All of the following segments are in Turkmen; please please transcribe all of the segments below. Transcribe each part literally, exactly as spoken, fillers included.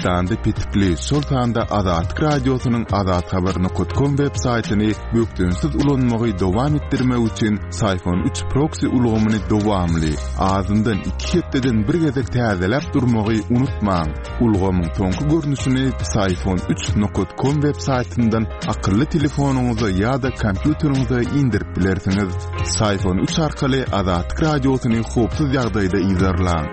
Türkmenistanda petikli, şol sanda Azatlyk Radiosynyň azathabar nokat kom web saýtyny bökdençsiz ulanmagy dowam etdirmek üçin Syfon üç proksi ulgamyny dowamly, azyndan iki hepdeden bir gezek täzeläp durmagy unutmaň. Ulgamyň soňky görnüşini Syfon üç nokat kom web saýtyndan akylly telefonyňyza ýa-da kompýuteriňize indirip bilersiňiz. Syfon üç arkaly Azatlyk Radiosyny howpsuz ýagdaýda yzarlaň.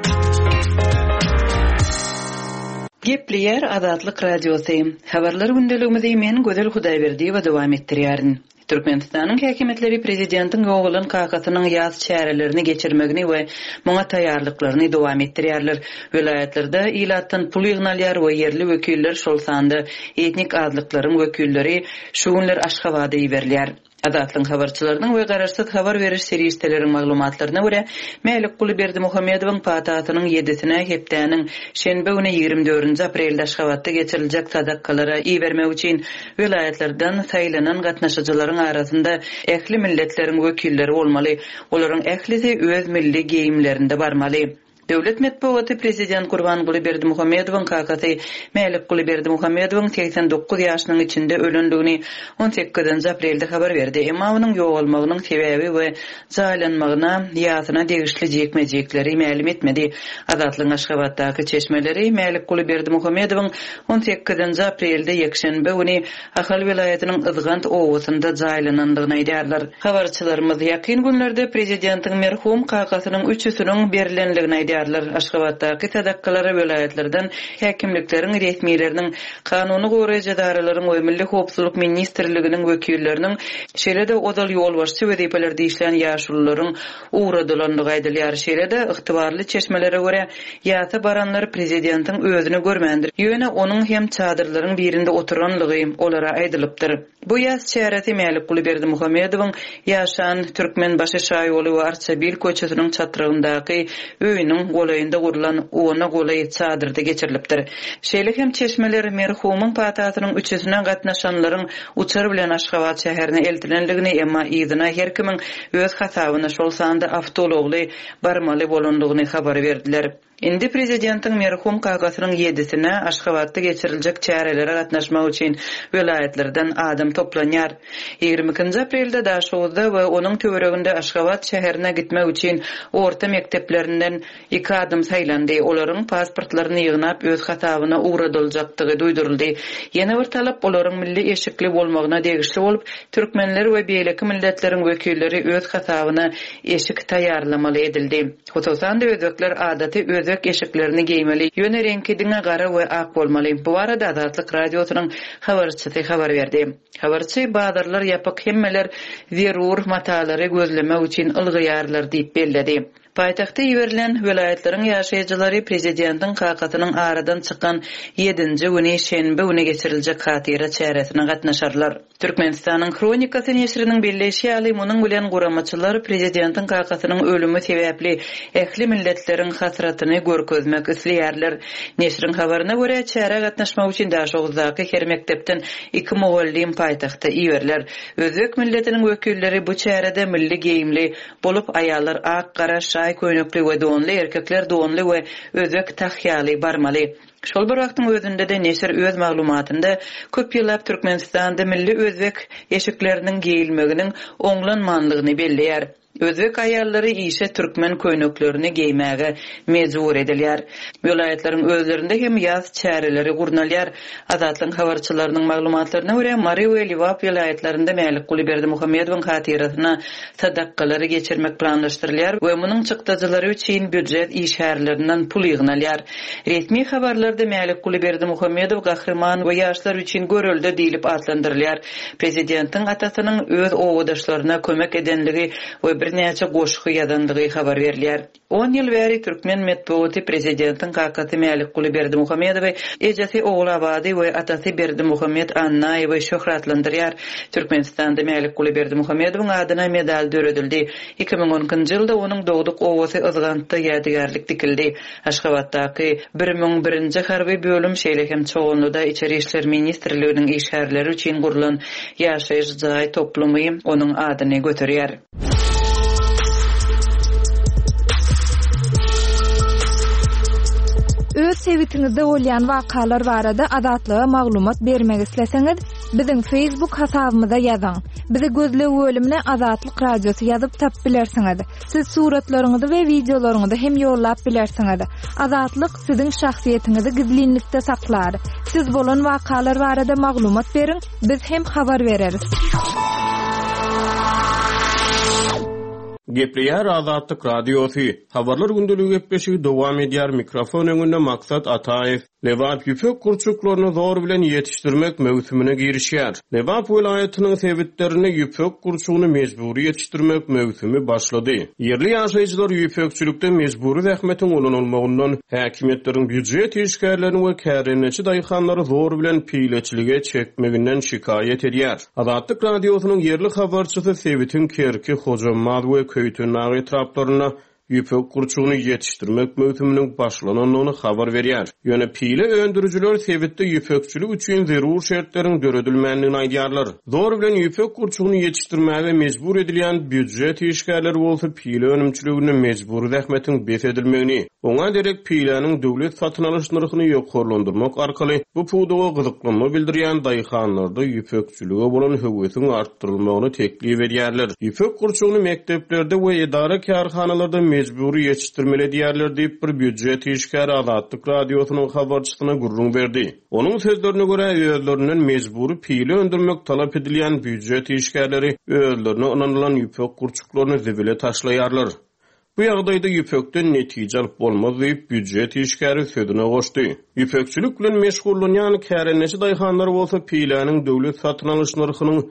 Gepleýär Azatlyk Radiosy. Habarlar gündeligimizi men Gözel Hudaýberdiýewa dowam etdirýärin. Türkmenistanyň häkimiýetleri prezidentiň ýogalan kakasynyň ýaz çärelerini geçirmegini we muňa taýýarlyklaryny dowam etdirýärler. Welaýatlarda ilatdan pul ýygnalýar we ýerli wekiller, şol sanda etnik azlyklaryň wekilleri şu günler Aşgabada iberilýär. Azatlygyň habarçylarynyň we garaşsyz habar beriş serişdeleriň maglumatlaryna görä, Mälikguly Berdimuhamedowyň patasynyň ýedisine hepdäniň şenbe güni ýigrimi dördünji aprelde Aşgabatda geçiriljek sadakalara ibermek üçin welaýatlardan saýlanan gatnaşyjylaryň arasynda ähli milletleriň wekilleri bolmaly. Olaryň ählisi öz milli geýimlerinde barmaly. Döwlet metbugaty prezident Gurbanguly Berdimuhamedowyň kakasy Mälikguly Berdimuhamedowyň segsen dokuz ýaşynyň içinde ölendigini on sekizinji aprelde habar berdi. Emma onuň ýogalmagynyň sebäbi we jaýlanmagyna ýasyna degişli jikme-jikleri mälim etmedi. Azatlygyň Aşgabatdaky çeşmeleri Mälikguly Berdimuhamedowyň on sekizinji aprelde ýekşenbe güni Ahal welaýatynyň Yzgant obasynda jaýlanandygyny aýdýarlar. Habarçylarymyz ýakyn günlerde prezidentiň merhum kakasynyň üçüsiniň berilendigini aýdýarlar. Aşgabatdaky sadakalara welaýatlardan häkimlikleriň resmileriniň, kanuny goraýjy edaralaryň we Milli Howpsuzlyk Ministrliginiň wekilleriniň, şeýle-de ozal ýolbaşçy wezipelerde işlän ýaşulularyň ugradylandygy aýdylýar. Şeýle-de ygtybarly çeşmelere görä, ýasa baranlar prezidentiň özüni görmändir. Ýöne onuň hem çadyrlaryň birinde oturanlygy olara aýdylypdyr. Bu ýas çäresi Mälikguly Berdimuhamedowyň ýaşan Türkmenbaşy Şaýoly we Arçabil köçesiniň çatrygyndaky öýüniň golaýynda gurlan ona golaý çadyrda geçirilipdir. Şeýle hem çeşmeler merhumyň patasynyň üçüsine gatnaşanlaryň uçar bilen Aşgabat şäherine eltilendigini, emma yzyna her kimiň öz hasabyna şol sanda awtoulagly barmaly bolandygyny habar berdiler. Indi prezidentiň merhum kakasynyň ýedisine Aşgabatda geçiriljek çärelere gatnaşmak üçin welaýatlardan adam toplanýar. Ýigrimi ikinji aprelde Daşoguzda we onuň töwereginde Aşgabat şäherine gitmek üçin orta mekdeplerinden iki adam saýlandy. Olaryň pasportlaryny ýygnap öz hasabyna ugradyljakdygy duýduryldy. Ýene bir talap olaryň milli eşikli bolmagyna degişli bolup, türkmenler we beýleki milletleriň wekilleri öz hasabyna eşik taýýarlamaly edildi. Hususan-da özbekler adaty özbek eşiklerini geýmeli, ýöne reňki diňe gara we ak bolmaly. Bu barada Azatlyk Radiosynyň habarçysy habar berdi. Habarçy bazarlar ýapyk, hemmeler zerur matalary gözlemek üçin ylgyýarlar diýip belledi. Paýtagta iberilen welaýatlaryň ýaşaýjylary prezidentiň kakasynyň aradan çykan ýedinji güni şenbe güni geçiriljek hatyra çäresine gatnaşarlar. Türkmenistanyň Hronikasy neşiriniň belleýşi ýaly, munuň bilen guramaçylar prezidentiň kakasynyň ölümi sebäpli ähli milletleriň hasratyny görkezmek isleýärler. Neşiriň habaryna görä, çärä gatnaşmak üçin Daşoguzdaky her mekdepden iki mugallym paýtagta iberiler. Özbek milletiniň wekilleri bu çärede milli geýimli bolup, aýallar ak, gara, şaý köýnekli we donly, erkekler donly we özbek tahýaly barmaly. Şol bir wagtyň özünde-de neşir öz maglumatynda köp ýyllap Türkmenistanda milli özbek eşikleriniň geýilmeginiň oňlanmanlygyny belleýär. Özbek aýallary işe türkmen köýneklerini geýmäge mejbur edilýär. Welaýatlaryň özlerinde hem ýaz çäreleri gurnalýar. Azatlygyň habarçylarynyň maglumatlaryna görä, Mary we Lebap welaýatlarynda Mälikguly Berdimuhamedowyň hatyrasyna sadakalary geçirmek planlaşdyrylýar we munuň çykdajylary üçin býujet işgärlerinden pul ýygnalýar. Resmi habarlarda Mälikguly Berdimuhamedow gahryman we ýaşlar üçin görelde diýlip atlandyrylýar. Prezidentiň atasynyň öz owadaşlaryna kömek edenligi we birnäçe goşgy ýazandygy habar berilýär. On ýyl bäri türkmen metbugaty prezidentiň kakasy Mälikguly Berdimuhamedowy, ejesi Ogulabady we atasy Berdimuhamed Annaýewi şöhratlandyrýar. Türkmenistanda Mälikguly Berdimuhamedowyň adyna medal döredildi. Iki müň on ikinji ýylda onuň dogduk obasy Yzgantda ýadygärlik dikildi. Aşgabatdaky bir müň birinji harby bölüm şeýle hem Çoganlyda Içeri İşler Ministrliginiň işgärleri üçin gurlan ýaşaýyş jaý toplumy onuň adyny göterýär. Öz Sebitiňizde bolýan wakalar barada Azatlyga maglumat bermek isleseňiz, biziň Facebook hasabymyza ýazyň. Bizi gözleg bölümine Azatlyk Radiosy ýazyp tapyp bilersiňiz. Siz suratlaryňyzy we wideolaryňyzy hem ýollap bilersiňiz. Azatlyk siziň şahsyýetiňizi gizlinlikde saklar. Siz bolan wakalar barada maglumat beriň, biz hem habar bereris. Gepleýär Azatlyk Radiosy. Habarlar gündeligi gepleşigi dowam edýär. Mikrofon öňünde Maksat Ataýew. Lebap ýüpek gurçuklaryny zor bilen ýetişdirmek möwsümine girişýär. Lebap welaýatynyň sebitlerinde ýüpek gurçugyny mejbury ýetişdirmek möwsümi başlady. Ýerli ýaşaýjylar ýüpekçilikde mejbury zähmetiň ulanylmagyndan häkimiýetleriň býujet işgärlerini we kärendeçi daýhanlary zor bilen pileçilige çekmeginden şikaýat edýär. Azatlyk Radiosynyň ýerli habarçysy sebitiň Kerki, Hojambaz we Köýtendag etraplarynda ýüpek gurçugyny ýetişdirmek möwsüminiň başlanandygyny habar berýär. Ýöne pile öndürijiler sebitde ýüpekçilik üçin zerur şertleriň döredilmändigini aýdýarlar. Zor bilen ýüpek gurçugyny ýetişdirmäge mejbur edilýän býujet işgärleri bolsa pile önümçiliginde mejbury zähmetiň bes edilmegini, oňa derek piläniň döwlet satyn alyş nyrhyny ýokarlandyrmak arkaly bu pudaga gyzyklanma bildirýän daýhanlarda ýüpekçilige bolan höwesiň artdyrylmagyny teklip edýärler. Ýüpek gurçugyny mekdeplerde we edara kärhanalarda mejbury ýetişdirmeli edýärler diýip bir býujet işgäri Azatlyk Radiosynyň habarçysyna gürrüň berdi. Onuň sözlerine görä özlerinden mejbury pile öndürmek talap edilýän býujet işgärleri özlerine ynanylan ýüpek gurçuklaryny zibile taşlaýarlar. Bu ýagdaýda ýüpekden netije alyp bolmaz diýip býujet işgäri sözüne goşdy. Ýüpekçilik bilen meşgullanýan kärendeçi daýhanlar bolsa piläniň döwlet satyn alyş nyrhynyň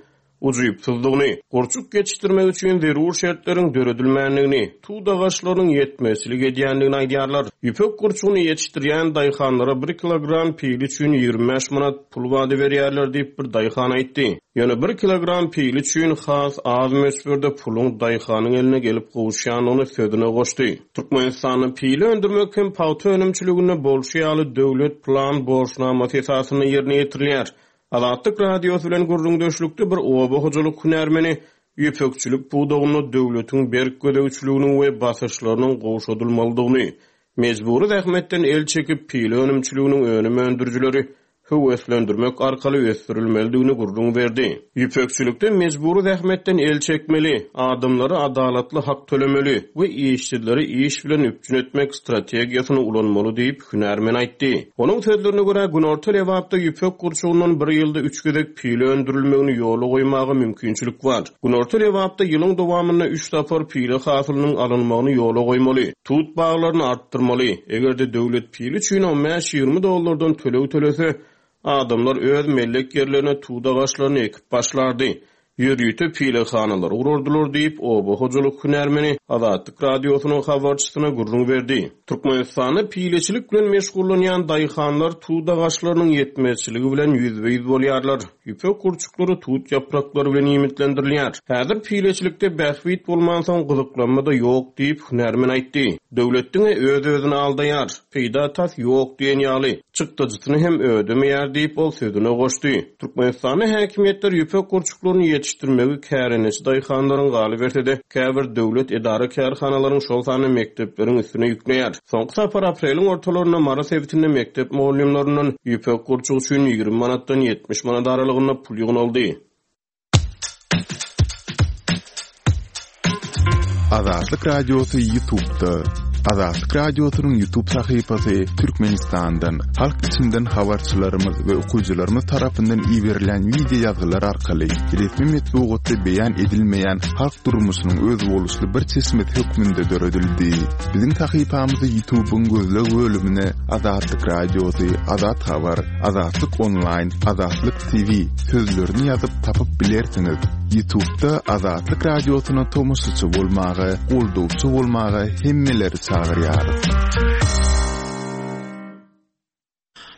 ujypsyzlygyny, gurçuk ýetişdirmek üçin zerur şertleriň döredilmändigini, tut agaçlarynyň ýetmezçilik edýändigini aýdýarlar. Ýüpek gurçugyny ýetişdirýän daýhanlara bir kilogram pil üçin ýigrimi bäş manat pul wada berýärler diýip bir daýhan aýtdy. Ýöne bir kilogram pil üçin has az möçberde puluň daýhanyň eline gelip gowuşýandygyny sözüne goşdy. Türkmenistanda pili öndürmek hem pagta önümçiliginde bolşy ýaly döwlet plan borçnamasy esasynda ýerine ýetirilýär. Azatlyk Radiosy bilen gürrüňdeşlikde bir oba hojalyk hünärmeni ýüpekçilik pudagynda döwletiň berk gözegçiliginiň we basyşlarynyň gowşadylmalydygyny, mejbury zähmetden el çekip pile önümçiliginiň önüm öndürijileri höweslendirmek arkaly ösdürilmelidigini gürrüň berdi. Ýüpekçilikde mejbury zähmetden el çekmeli, adamlara adalatly hak tölemeli we işçileri iş bilen üpjün etmek strategiýasyny ulanmaly diýip hünärmen aýtdy. Onuň sözlerine görä Günorta Lebapda ýüpek gurçugyndan bir ýylda üç gezek pile öndürilmegini ýola goýmaga mümkinçilik bar. Günorta Lebapda ýylyň dowamynda üç sapar pile hasylynyň alynmagyny ýola goýmaly, tut baglaryny artdyrmaly. Eger-de döwlet pile üçin on bäş ýigrimi dollardan töleg tölese, adamlar öz mellek ýerlerine tut agaçlaryny ekip başlardy. Ýörite pilehanalary gurardylar diýip oba hojalyk hünärmeni Azatlyk Radiosynyň habarçysyna gürrüň berdi. Türkmenistanda pileçilik bilen meşgullanýan daýhanlar tut agaçlarynyň ýetmezçiligi bilen ýüzbe-ýüz bolýarlar. Ýüpek gurçuklary tut ýapraklary bilen iýmitlendirilýär. Häzir pileçilikde bähbit bolmansoň gyzyklanma da ýok diýip hünärmen aýtdy. Döwlet diňe öz-özüni aldaýar, peýda tas ýok diýen ýaly, çykdajysyny hem ödemeýär diýip ol sözüne goşdy. Türkmenistanda häkimiýetler ýüpek gurçuklaryny ýetişdirmegi kärendeçi daýhanlaryň galyberse-de, käbir döwlet edara kärhanalaryň şol sanda mekdepleriň üstüne ýükleýär. Soňky sapar apreliň ortalarynda Mary sebitinde mekdep mugallymlaryndan ýüpek gurçugy üçin ýigrimi manatdan ýetmiş manat aralygynda pul ýygnaldy. Azatlyk Radiosy YouTube'da. Azatlyk Radiosynyň YouTube sahypasy Türkmenistandan, halk içinden habarçylarymyz we okyjylarymyz tarapyndan iberilen video ýazgylar arkaly resmi metbugatda beýan edilmeýän halk durmuşynyň özboluşly bir çeşmesi hökmünde döredildi. Biziň sahypamyzy YouTube'yň gözleg bölümine Azatlyk Radiosy, Azat Habar, Azatlyk Online, Azatlyk T V sözlerini ýazyp tapyp bilersiňiz. YouTube'da Azatlyk Radiosyna tomaşaçy bolmaga, goldawçy bolmaga hemmeleri çagyrýarys.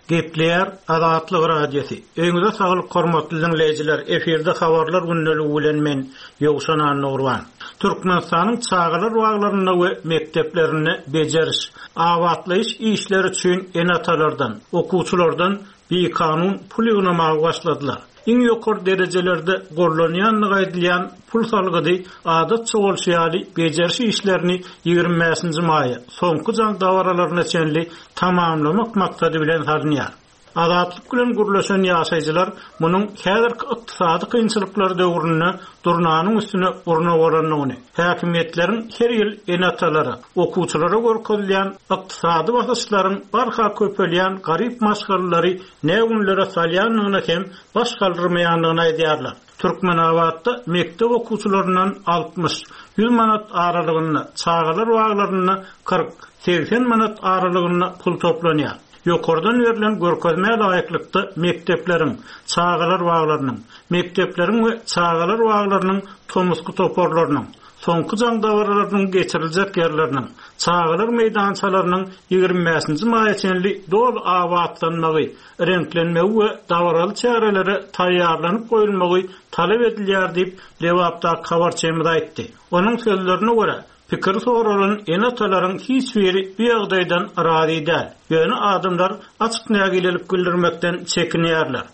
Gepleýär Azatlyk Radiosy. Öýüňize saglyk hormatly dinleýjiler. Efirde habarlar gündeligi bilen men Ýowşan Annurban. Türkmenistanyň çagalar baglarynda we mekdeplerinde bejeriş, abatlaýyş işleri üçin ene-atalardan, okuwçylardan Bikanun pul ýygnamaga başladylar. Iň ýokary derejelerde gollanýanlygy aýdylýan pul salgydy adatça bolşy ýaly bejeriş işlerini ýigrimi bäşinji maýa soňky jaň dabaralaryna çenli tamamlamak maksady bilen salynýar. Azatlyk bilen gürleşen ýaşaýjylar munuň häzirki ykdysady kynçylyklar döwründe durnanyň üstüne urna bolandygyny, häkimiýetleriň her ýyl ene-atalara, okuwçylara görkezilýän ykdysady basyşlaryň barha köpelýän garyp maşgalalary nägünlere salýandygyny hem baş galdyrmaýandygyny aýdýarlar. Türkmenabatda mekdep okuwçylaryndan altmyş, ýüz manat aralygynda, çagalar baglarynda kyrk, segsen manat aralygynda pul toplanýar. Ýokardan berlen görkezmä laýyklykda mekdepleriň, çagalar baglarynyň, mekdepleriň we çagalar baglarynyň tomusky toparlarynyň, soňky jaň dabaralarynyň geçiriljek ýerleriniň, çagalar meýdançalarynyň ýigrimi bäşinji maýa çenli doly abatlanmagy, reňklenmegi we dabaraly çärelere taýýarlanyp goýulmagy talap edilýär diýip Lebapdaky habarçymyz aýtdy. Onuň sözlerine görä, pikir soralan ene-atalaryň hiç biri bu ýagdaýdan razy däl. Ýöne adamlar açyk nägilelik bildirmekden çekinýärler.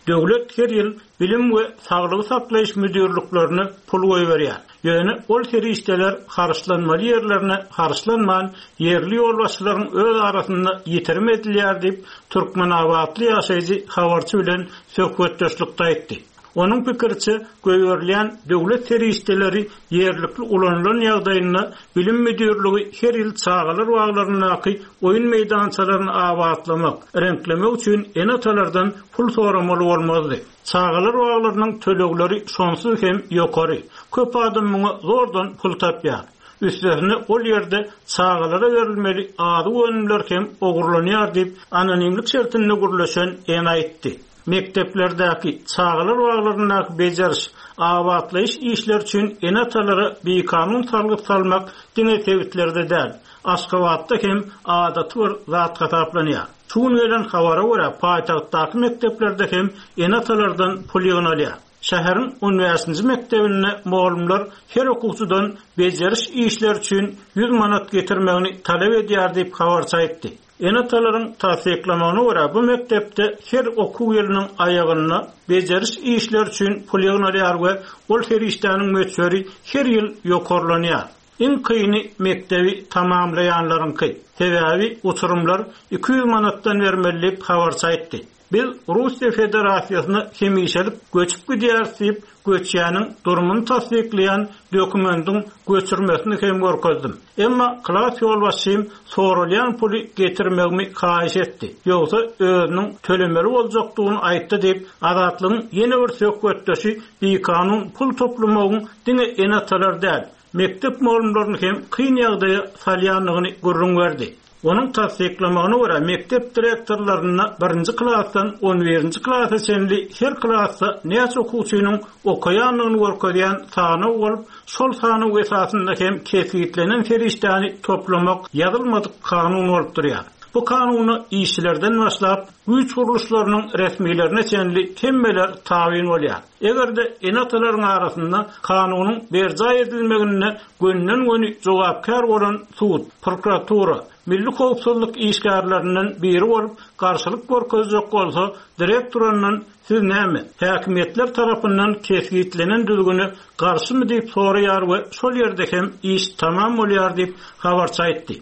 Döwlet her ýyl bilim we saglygy saklaýyş müdirliklerine pul goýberýär. Ýöne ol serişdeler harçlanmaly ýerlerine harçlanman, ýerli ýolbaşçylaryň öz arasynda ýitirim edilýär diýip Türkmenabatly ýaşaýjy habarçy bilen söhbetdeşlikde aýtdy. Onuň pikiriçe goýberilýän döwlet serişdeleri ýerlikli ulanylan ýagdaýynda bilim müdirligi her ýyl çagalar baglaryndaky oýun meýdançalaryny abatlamak, reňklemek üçin ene-atalardan pul soramaly bolmazdy. Çagalar baglarynyň tölegleri şonsuz hem ýokary. Köp adam muňa zordan pul tapýar. Üstesine ol ýerde çagalara berilmeli azyk önümler hem ogurlanýar diýip anonimlik şertinde gürleşen ene aýtdy. Mekdeplerdäki çagalar baglaryndaky bejeriş, abatlaýyş işleri üçin ene-atalara bikanun salgyt salmak diňe sebitlerde däl, Aşgabatda hem adaty bir zat hasaplanýar. Şu gün gelen habara görä paýtagtdaky mekdeplerde hem ene-atalardan pul ýygnalýar. Şäheriň on bäşinji mekdebinde mugallymlar her okuwçydan bejeriş işleri üçin ýüz manat getirmegini talap edýär diýip habarçy aýtdy. Ene-atalaryň tassyklamagyna görä bu mekdepde her okuw ýylynyň aýagynda bejeriş işleri üçin pul ýygnalýar we ol serişdäniň möçberi her ýyl ýokarlanýar. Iň kyny mekdebi tamamlaýanlaryňky. Sebäbi uçurymlar iki ýüz manatdan bermeli diýip habarçy aýtdy. Biz Russiýa Federasiýasyna hemişelik göçüp gidýäris diýip göçýäniň durumyny tassyklaýan dokumentyň göçürmesini hem görkezdim. Emma klas ýolbaşçym soralýan puly getirmegimi haýyş etdi. Ýogsa özüniň tölemeli boljakdygyny aýtdy diýip Azatlygyň ýene bir söhbetdeşi bikanun pul toplamagyň diňe ene-atalar däl, mekdep mugallymlaryny hem kyn ýagdaýa salýandygyny gürrüň berdi. Onuň tassyklamagyna görä mekdep direktorlaryna birinji klasdan on birinji klasa çenli her klasda näçe okuwçynyň okaýandygyny görkezýän sanaw bolup, şol sanaw esasynda hem kesgitlenen serişdäni toplamak ýazylmadyk kanun bolup durýar. Bu kanuna işçilerden başlap güýç gurluşlarynyň resmilerine çenli hemmeler tabyn bolýar. Eger-de ene-atalaryň arasynda kanunyň berjaý edilmegine gönden-göni jogapkär bolan sud, prokuratura, milli howpsuzlyk işgärlerinden biri bolup garşylyk görkezjek bolsa, direktorundan siz näme, häkimiýetler tarapyndan kesgitlenen düzgüne garşymy diýip soraýar we şol ýerde hem iş tamam bolýar diýip habarçy aýtdy.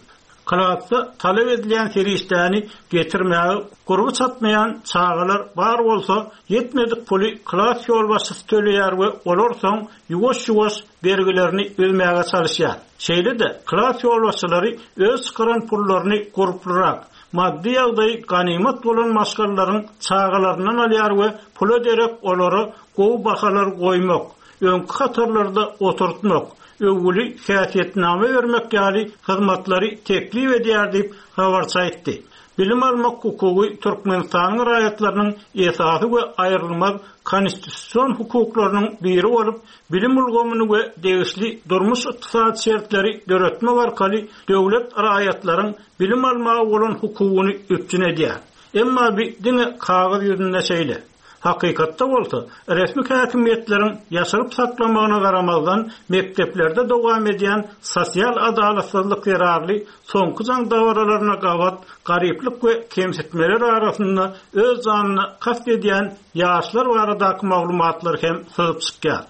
Klasda talap edilýän serişdäni getirmäge gurby çatmaýan çagalar bar bolsa, ýetmedik puly klas ýolbaşçysy töleýär we olar soň ýuwaş-ýuwaş bergilerini üzmäge çalyşýar. Şeýle-de klas ýolbaşçylary öz çykaran pullaryny gurplurak, maddy ýagdaýy ganymat bolan maşgalalaryň çagalaryndan alýar we pula derek olara gowy bahalar goýmak, öňki hatarlarda oturtmak, öwgüli häsiýetname bermek ýaly hyzmatlary teklip edýär diýip habarçy aýtdy. Bilim almak hukugy Türkmenistanyň raýatlarynyň esasy we aýrylmaz konstitusion hukuklarynyň biri bolup, bilim ulgamyny we degişli durmuş ykdysady şertleri döretmek arkaly döwlet raýatlaryň bilim almaga bolan hukugyny üpjün edýär. Emma bi diňe kagyz ýüzünde şeýle. Hakykatda bolsa resmi häkimiýetleriň ýaşyryp saklamagyna garamazdan mekdeplerde dowam edýän sosial adalatsyzlyk zerarly soňky jaň dabaralaryna gabat garyplyk we kemsitmeler arasynda öz janyna kast edýän ýaşlar baradaky maglumatlar hem syzyp çykýar.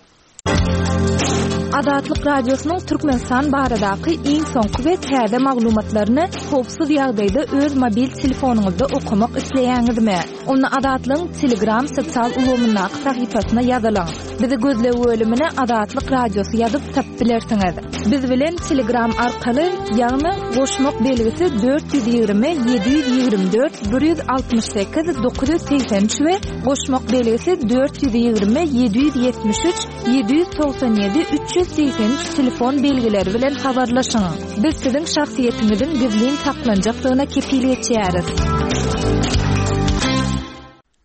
Azatlyk Radiosynyň Türkmenistan baradaky iň soňky we täze maglumatlaryny howpsuz ýagdaýda öz mobil telefonyňyzda okamak isleýäňizmi? Onda Azatlygyň Telegram sosial ulgamyndaky sahypasyna ýazylyň. Bizi gözleg bölümine Azatlyk Radiosy ýazyp tapyp bilersiňiz. Biz bilen Telegram arkaly, ýagny goşmak belgisi dört ýüz ýigrimi ýedi ýüz ýigrimi dört bir ýüz altmyş sekiz dokuz ýüz segsen üç we goşmak belgisi dört ýüz ýigrimi ýedi ýüz ýetmiş üç ýedi ýüz togsan ýedi üç ýüz segsen üç telefon belgileri bilen habarlaşyň. Biz siziň şahsyýetiňiziň gizlin saklanjakdygyna kepil geçýäris.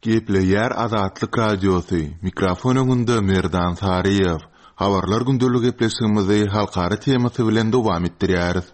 Gepleýär Azatlyk Radiosy. Mikrofon öňünde Merdan Saryýew. Habarlar gündelik gepleşigimizi halkara temasy bilen dowam etdirýäris.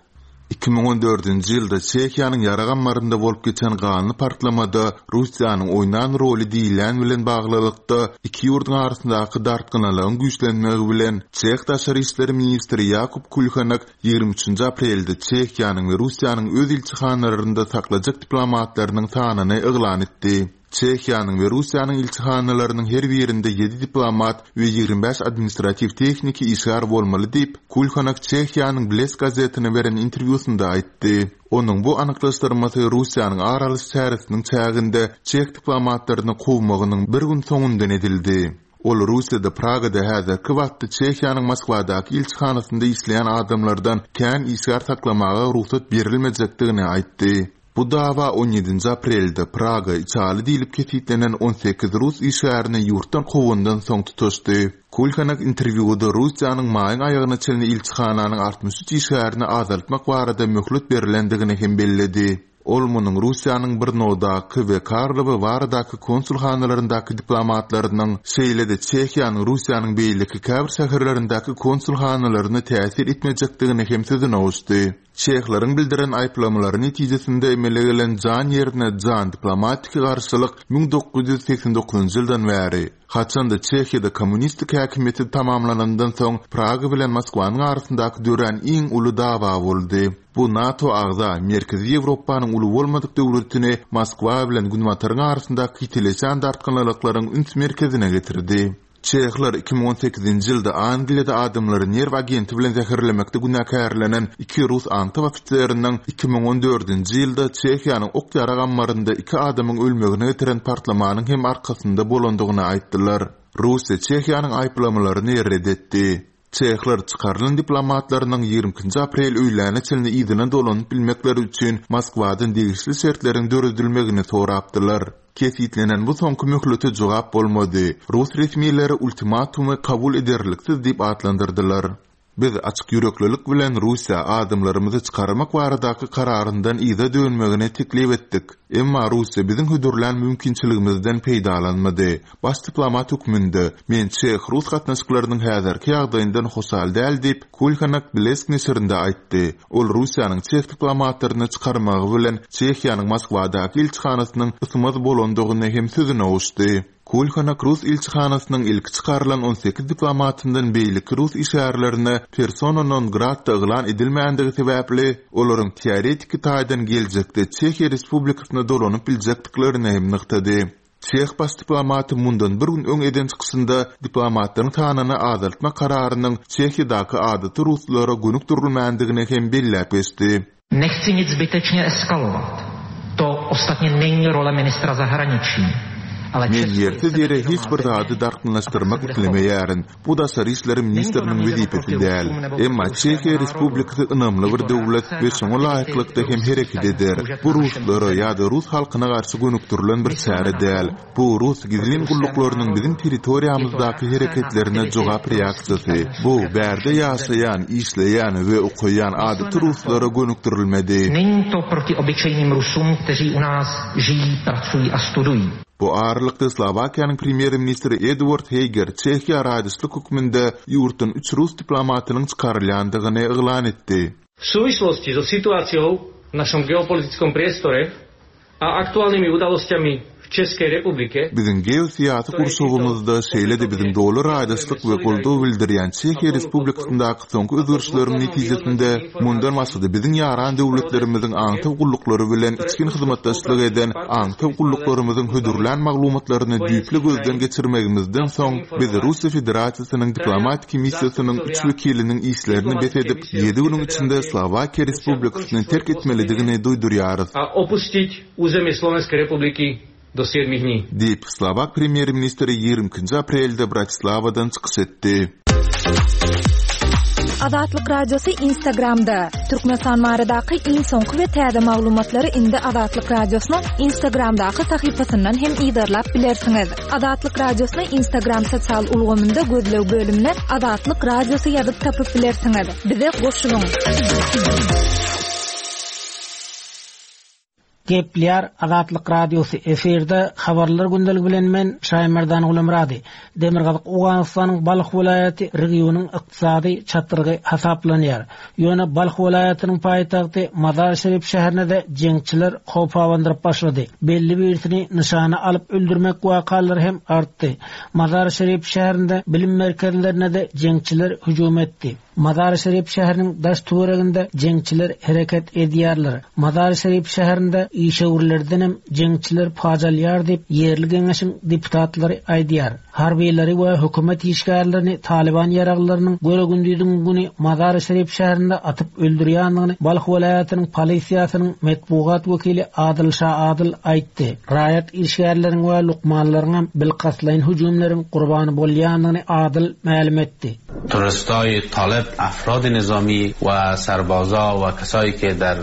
Iki müň on dördünji ýylda Çehiýanyň ýarag ammarynda bolup geçen ganly partlamada Russiýanyň oýnan roly diýilýän bilen baglylykda iki ýurduň arasyndaky dartgynlygyň güýçlenmegi bilen Çeh daşary işler ministri Ýakub Kulhanak ýigrimi üçünji aprelde Çehiýanyň we Russiýanyň öz ilçihanalarynda saklajak diplomatlarynyň sanyny yglan etdi. Çehiýanyň we Russiýanyň ilçihanalarynyň her birinde ýedi diplomat we ýigrimi bäş administratiw tehniki işgär bolmaly diýip, Kulhanak Çehiýanyň Blesk gazetine beren interwýusynda aýtdy. Onuň bu anyklaşdyrmasy Russiýanyň ar alyş çäresiniň çäginde çeh diplomatlaryny kowmagynyň bir gün soňundan edildi. Ol Russiýada Pragada häzirki wagtda Çehiýanyň Moskwadaky ilçihanasynda işleýän adamlardan kän işgär saklamaga rugsat berilmejekdigini aýtdy. Bu dawa on ýedinji aprelde Praga içaly diýlip kesitlenen on sekiz rus işgärini ýurtdan kowandan soň tutaşdy. Kulhanak interwýuda Russiýanyň maýyň aýagyna çenli ilçihananyň altmyş üç işgärini azaltmak barada möhlet berilendigini hem belledi. Ol munuň Russiýanyň Brnodaky we Karlowy baradaky konsulhanalaryndaky diplomatlarynyň, şeýle-de Çehiýanyň Russiýanyň beýleki käbir şäherlerindäki konsulhanalaryna täsir etmejekdigini hem sözüne goşdy. Çehleriň bildiren aýyplamalary netijesinde emele gelen jan ýerine jan diplomatik garşylyk müň dokuz ýüz seksen dokuzynjy ýyldan bäri, haçanda Çehiýada kommunistik häkimiýeti tamamlanandan soň Praga bilen Moskwanyň arasyndaky dörän iň uly dawa boldy. Bu NATO agza Merkezi Ýewropanyň uly bolmadyk döwletini Moskwa bilen Günbataryň arasyndaky ýitileşen dartgynlyklaryň üns merkezine getirdi. Çehler iki müň on sekizinji ýylda Angliýada adamlary nerw agenti bilen zäherlemekde günäkärlenen iki rus aňtaw ofiseriniň iki müň on dördünji ýylda Çehiýanyň ok ýarag ammarynda iki adamyň ölmegine getiren partlamanyň hem arkasynda bolandygyny aýtdylar. Russiýa Çehiýanyň aýyplamalaryny red etdi. Çehler çykarylan diplomatlarynyň ýigrimi ikinji aprel öýläne çenli yzyna dolanyp bilmekleri üçin Moskwadan degişli şertleriň döredilmegini sorapdylar. Kesitlenen bu soňky möhlete jogap bolmady. Rus resmileri ultimatumy kabul ederliksiz diýip atlandyrdylar. Biz açyk ýüreklilik bilen Russiýa adamlarymyzy çykarmak baradaky kararyndan yza dönmegini teklip etdik. Emma Russiýa biziň hödürlän mümkinçiligimizden peýdalanmady. Baş diplomat hökmünde men çeh-rus gatnaşyklarynyň häzirki ýagdaýyndan hoşal däl diýip, Kulhanak Blesk neşirinde aýtdy. Ol Russiýanyň çeh diplomatlaryny çykarmagy bilen Çehiýanyň Moskwadaky ilçihanasynyň ysmaz bolandygyny hem sözüne goşdy. Kulhanak Rus ilçihanasynyň ilki çykarylan on sekiz diplomatyndan beýleki rus işgärlerine persona non grata yglan edilmändigi sebäpli olaryň teoretiki taýdan geljekde Çehiýa Respublikasyna dolanyp biljekdiklerini hem nygtady. Çeh baş diplomaty mundan bir gün öň eden çykyşynda diplomatlaryň sanyny azaltmak kararynyň Çehiýadaky adaty ruslara gönükdirilmändigini hem belläp geçdi. Nechci nic zbytečně eskalovat. To ostatně není role ministra zahraničí. Ale Men Česko ýersiz je ýere sebevědomá hiç bir země zady dartgynlaşdyrmak a tak se bude islemeýärin. chovat. Bu daşary işler Není to ministriniň namířeno wezipesi proti däl. Rusům nebo proti Emma ruskému Çehiýa národu. Respublikasy ynamly Je bir to döwlet reakce we na şoňa aktivity laýyklykda hem ruských hereket tajných eder. služeb Bu na našem ruslara území. ýa-da rus halkyna garşy gönükdirilen bir My jsme çäre na däl. to Bu rus proti gizlin ruskému gulluklarynyň národu. biziň Je to territoriýamyzdaky reakce na hereketlerine aktivity jogap ruských reaksiýasy. tajných Bu služeb na bärde našem území. ýaşaýan, işleýän we okaýan Myslíme adaty na to. ruslara gönükdirilmedi. Není to proti obyčejným Rusům, kteří u nás žijí, pracují a studují. Bu aralykda Slowakiýanyň premýer-ministri Edward Heger Çehiýa raýdaşlyk hökmünde ýurtdan üç rus diplomatynyň çykarylýandygyny yglan etdi. V súvislosti so situáciou v našom geopolitickom priestore a aktuálnymi udalosťami v v Českej Republike Biziň geosyýasy gurşawymyzda şeýle-de biziň doly raýdaşlyk we goldaw bildirýän Çehiýa Respublikasyndaky soňky özgerişleriň netijesinde mundan başga-da biziň ýaran döwletlerimiziň aňtaw gulluklary bilen içgin hyzmatdaşlyk eden aňtaw gulluklarymyzyň hödürlän maglumatlaryny düýpli gözden geçirmegimizden soň biz Russiýa Federasiýasynyň diplomatik missiýasynyň üç wekiliniň işlerini bes edip ýedi günüň içinde Slowakiýa Respublikasyny terk etmelidigini duýdurýarys. a opustiť územie Slovenskej Republiky do siedmich dní. Diýip, Slovak premýer-ministri ýigrimi ikinji aprelde Bratislavadan çykyş etdi. Azatlyk Radiosy Instagramda. Türkmenistan baradaky iň soňky we täze maglumatlary indi Azatlyk Radiosynyň Instagramdaky sahypasyndan hem yzarlap bilersiňiz. Azatlyk Radiosyny Instagram sosial ulgamynda gözleg bölümine Azatlyk Radiosy ýazyp tapyp bilersiňiz. Bize goşulyň. Gepleýär Azatlyk Radiosy efirde habarlar gündeligi bilen men Şaýmerdan Gulamrady. Demirgazyk Owganystanyň Balh welaýaty regionyň ykdysady çatrygy hasaplanýar. Ýöne Balh welaýatynyň paýtagty Mazar-Şerif şäherine-de jeňçiler howp abandyryp başlady. Belli birisini nyşana alyp öldürmek wakalary hem artdy. Mazar-Şerif şäherinde bilim merkezlerine-de jeňçiler hüjüm etdi. Mazar-Şerif şäheriniň daş töwereginde jeňçiler hereket edýärler. Mazar-Şerif şäherinde işewürlerden hem jeňçiler pajalýar diýip ýerli geňeşiň deputatlary aýdýar. Harbylary we hökümet işgärlerini Taliban ýaraglarynyň göre gündüziň güni Mazar-Şerif şäherinde atyp öldürýändigini Balh welaýatynyň polisiýasynyň metbugat wekili Adil Şa Adil aýtdy. Raýat işgärleriň we lukmanlaryň hem bilkastlaýyn hüjümleriň gurbany bolýandygyny Adil mälim etdi. Terroristای طالب افراد نظامی و سربازا و کسایی که در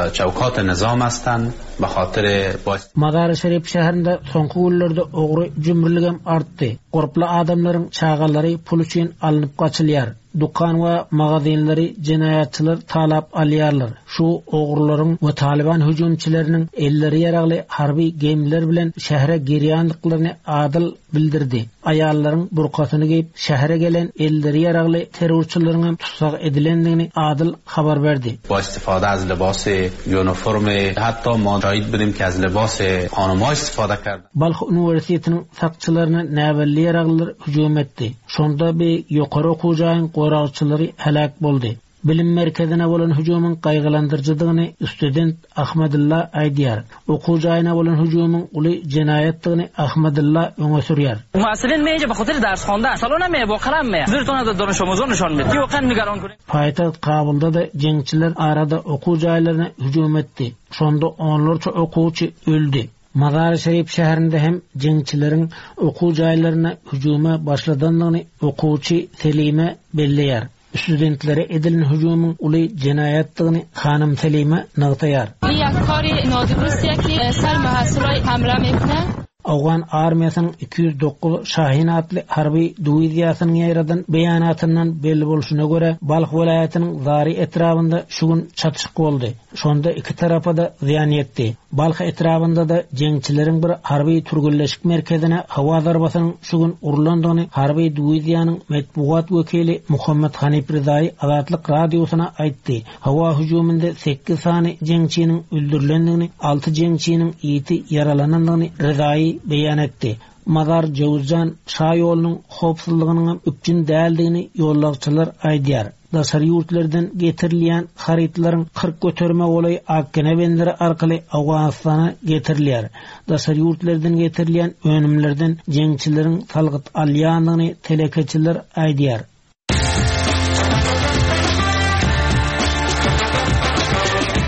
چوکات نظام هستند به خاطر با Mazar-Şerif şäherinde soňky günlerde ogry jümrüligem artdy. Gorply adamlaryň çagalary pul üçin alnyp gaçylýar. Dukan we magazinleri jenaýatçylar talap alýarlar. Şu ogurlaryň we Taliban hüjümçileriniň elleri ýaragly harby gemiler bilen şähere girýänliklerini Adil bildirdi. Aýallaryň burkasyny geýip şähere gelen elleri ýaragly terrorçylaryň hem tutsak edilendigini Adil habar berdi. با استفاده از لباس یونیفرم حتی ما شاهد بودیم که از لباس خانم‌ها استفاده کرد. Balh Üniversitetiniň sakçylaryna näbelli ýaraglylar hüjüm etdi. Şonda bir ýokary okuw jaýyň goragçylary helak boldy. Bilim merkezine bolan hüjümiň gaýgylandyryjydygyny student Ahmedulla aýdýar. Okuw jaýyna bolan hüjümiň uly jenaýatdygyny Ahmedulla öňe sürýär. Muhassilin meje به خاطر درس خواندن سالن می با قلم می زیرتون از دانش آموزان نشان میده ki واقعا نگران کنید. Paýtagt Kabulda da jeňçiler arada okuw jaýlaryna hüjüm etdi. Şonda onlarça okuwçy öldi. Mazar-Şerif şäherinde hem jeňçileriň okuw jaýlaryna hüjüme başladandygyny okuwçy Selime belleýär. Studentlere edilen hüjümiň uly jenaýatdygyny hanym Selime nygtaýar. یک کار نادرستیه که سر محصولای حمله میکنه. Owgan armiýasynyň iki ýüz dokuz Şahin atly harby diwiziýasynyň ýaýradan beýanatyndan belli bolşuna görä Balh welaýatynyň Zari etrabynda şu gün çatyşyk boldy. Şonda iki tarapa da zyýan ýetdi. Balh etrabynda da jeňçileriň bir harby türgenleşik merkezine hawa zarbasynyň şu gün urlandygyny harby diwiziýanyň metbugat wekili Muhammed Hanif Rizaý Azatlyk radiosyna aýtdy. Hawa hüjüminde sekiz sany jeňçiniň öldürilendigini, alty jeňçiniň ýiti ýaralanandygyny Rizaý beýan etdi. Mazar Jowzjan şa ýolunyň howpsuzlygynyň üpjün däldigini ýolagçylar aýdýar. Daşary ýurtlardan getirilýän harytlaryň kyrk göterme golaý Akkene benderi arkaly Owganystana getirilýär. Daşary ýurtlardan getirilýän önümlerden jeňçileriň salgyt alýandygyny telekeçiler aýdýar.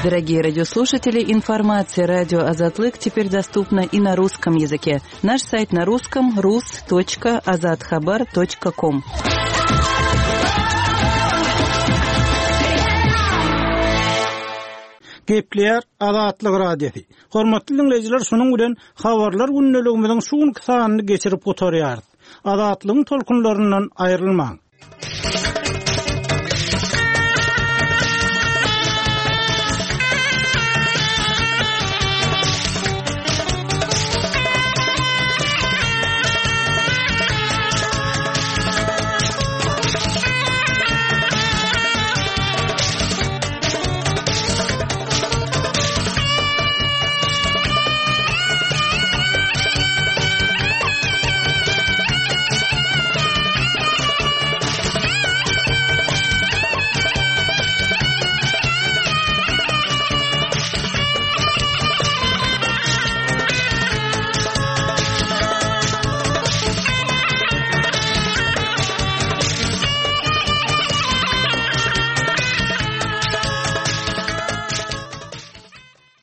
Дорогие радиослушатели, информация радио Азатлык теперь доступна и на русском языке. Наш сайт на русском рус точка азатхабар точка ком. Gepleýär Azatlyk Radiosy. Hormatly dinleýjiler, şunuň bilen habarlar gündeligimiziň şu günki sanyny geçirip gutarýarys. Azatlygyň tolkunlaryndan aýrylmaň.